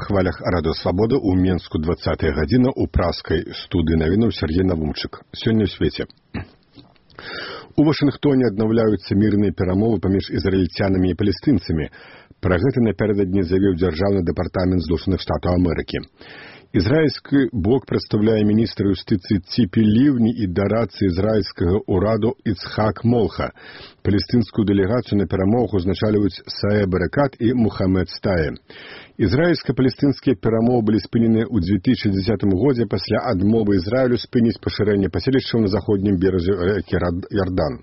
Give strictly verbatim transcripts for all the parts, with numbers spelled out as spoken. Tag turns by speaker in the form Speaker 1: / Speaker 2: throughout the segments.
Speaker 1: хвалях Радыё Свабода ў Менску двадцатая гадзіна ў праскай студыі навінаў Сергей Навумчык. Сёння ў свеце. У Вашынгтоне аднаўляюцца мірныя перамовы паміж ізраільцянамі і палестынцамі. Пра гэта напярэдадні заявіў дзяржаўны дэпартамент Злучаных Штатаў Амерыкі. Ізраільскі бок прадстаўляе міністра юстыцыі Ціпі Ліўні і дарадцы ізраільскага ўраду Іцхак Молха. Палестынскую дэлегацыю на перамовах узначальваюць Саэ Баракат і Мухаммед Стае. Ізраільска-палестынскія перамовы былі спынены ў дзве тысячы дзесятым годзе пасля адмовы Ізраілю спыніць пашырэнне паселішчаў на заходнім беразе ракі Ярдан.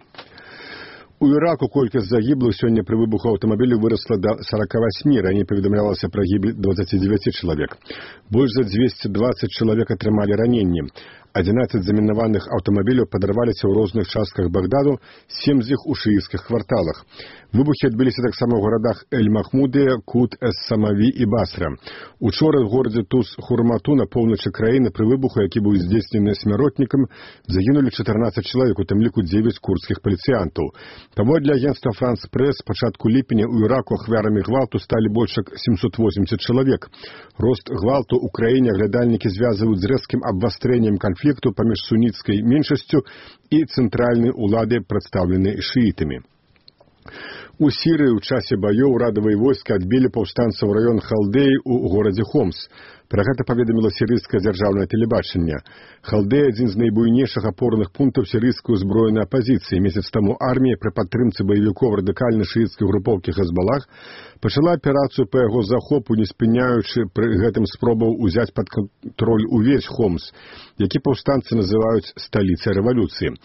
Speaker 1: У Іраку колькасць загіблых сёння пры выбуху аўтамабіля вырасла да сорока восьмі, раней паведамлялася пра гібель дваццаці дзевяці чалавек. Больш за дзвесце дваццаць чалавек атрымалі раненні. адзінаццаць замінаваных аўтамабіляў падарваліся ў розных частках Багдаду, сем з іх у шыіцкіх кварталах. Выбухі адбыліся таксама ў гарадах Эль-Махмудыя, Кут, Эс-Самаві і Басра. Учора ў горадзе Туз-Хурмату на поўначы краіны пры выбуху, які быў здзейснены смяротнікам, загінулі чатырнаццаць чалавек, у тым ліку дзевяць курдскіх паліцыянтаў. Паводле агенцтва Франс-Прэс, з пачатку ліпеня ў Іраку ахвярамі гвалту сталі больш як сямсот восемьдесят чалавек. Рост гвалту ў краіне аглядальнікі звязваюць з рэзкім абвастрэннем канфлікту паміж суніцкай меншасцю і цэнтральнай уладай, прадстаўленай шыітамі. У Сірыі ў часе баёў урадавыя войскі адбілі паўстанцаў раён Халдэі ў горадзе Хомс. Пра гэта паведаміла сірыйскае дзяржаўнае тэлебачанне. Халдэя – адзін з найбуйнейшых апорных пунктаў сірыйскай узброенай апазіцыі. Месяц таму армія пры падтрымцы баевікоў радыкальнай шыіцкай групоўкі Хезбалах пачала аперацыю па яго захопу, не спыняючы пры гэтым спробаў узяць пад кантроль увесь Хомс, які паўстанцы называюць сталіцай рэвалюцыі.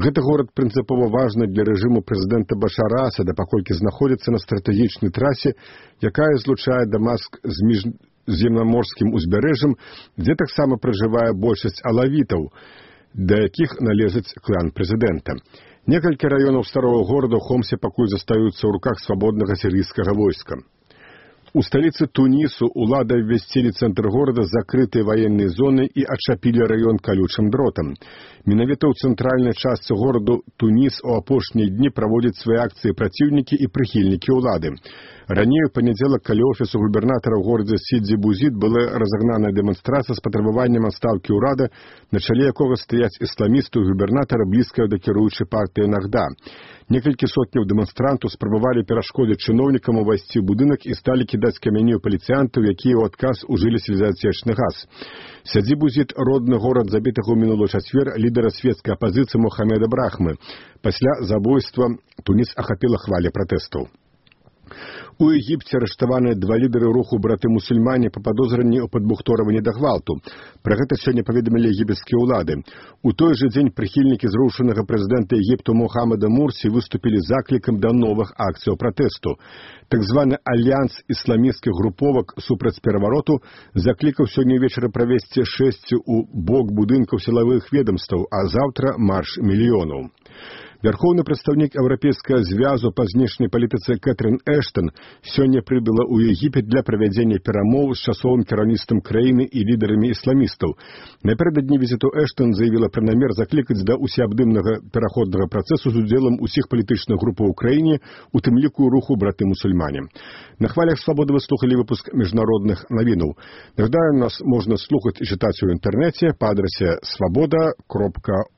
Speaker 1: Гэты горад прынцыпова важны для рэжыму прэзідэнта Башара Асада, паколькі знаходзіцца на стратэгічнай трасе, якая злучае Дамаск з міжземнаморскім узбярэжжам, дзе таксама пражывае большасць алавітаў, да якіх належыць клан прэзідэнта. Некалькі раёнаў старого горада ў Хомсе пакуль застаюцца ў руках свабоднага сірыйскага войска. У сталіцы Тунісу улады абвясцілі цэнтр горада закрытай ваеннай зонай і адчапілі раён калючым дротам. Менавіта ў цэнтральнай частцы гораду Туніс у апошнія дні праводзяць свае акцыі праціўнікі і прыхільнікі ўлады. Раней у панядзелак каля офісу губернатара ў горадзе Сідзі Бузід была разагнаная дэманстрацыя з патрабаваннем адстаўкі ўрада, на чале якога стаяць ісламісты губернатара, блізкая да кіруючай партыі Нахда. Некалькі сотняў дэманстрантаў спрабавалі перашкодзіць чыноўнікам увайсці ў будынак і сталі кідаць камяні ў паліцыянтаў, якія ў адказ ужылі слезаацечны газ. Сідзі Бузід – родны горад забітага ў мінулы чацвер лідара свецкай апазіцыі Мухаммеда Брахмы. Пасля забойства Туніс ахапіла хваля пратэстаў. У Егіпце арыштаваныя два лідары руху браты-мусульмане па падозранні ў падбухторванні да гвалту. Пра гэта сёння паведамілі егіпецкія ўлады. У той жа дзень прыхільнікі зрушанага прэзідэнта Егіпту Мухаммада Мурсі выступілі заклікам да новых акцыяў пратэсту. Так званы альянс ісламісцкіх груповак супраць перавароту заклікаў сёння ўвечары правесці шэсці ў бок будынкаў сілавых ведамстваў, а заўтра марш мільёнаў. Вярхоўны прадстаўнік Еўрапейскага звязу па знешняй палітыцы Кэтрын Эштон сёння прыбыла ў Егіпет для правядзення перамоў з часовым кіраўніцтвам краіны і лідарамі ісламістаў. Напярэдадні візіту Эштон заявіла пра намер заклікаць да усеабдымнага пераходнага працэсу з удзелам усіх палітычных групаў у краіне, у тым ліку руху браты-мусульмане. На хвалях Свабоды вы слухалі выпуск міжнародных навінаў. Нагадаю, нас можна слухаць і чытаць у інтэрнэце па адрасе свабода кропка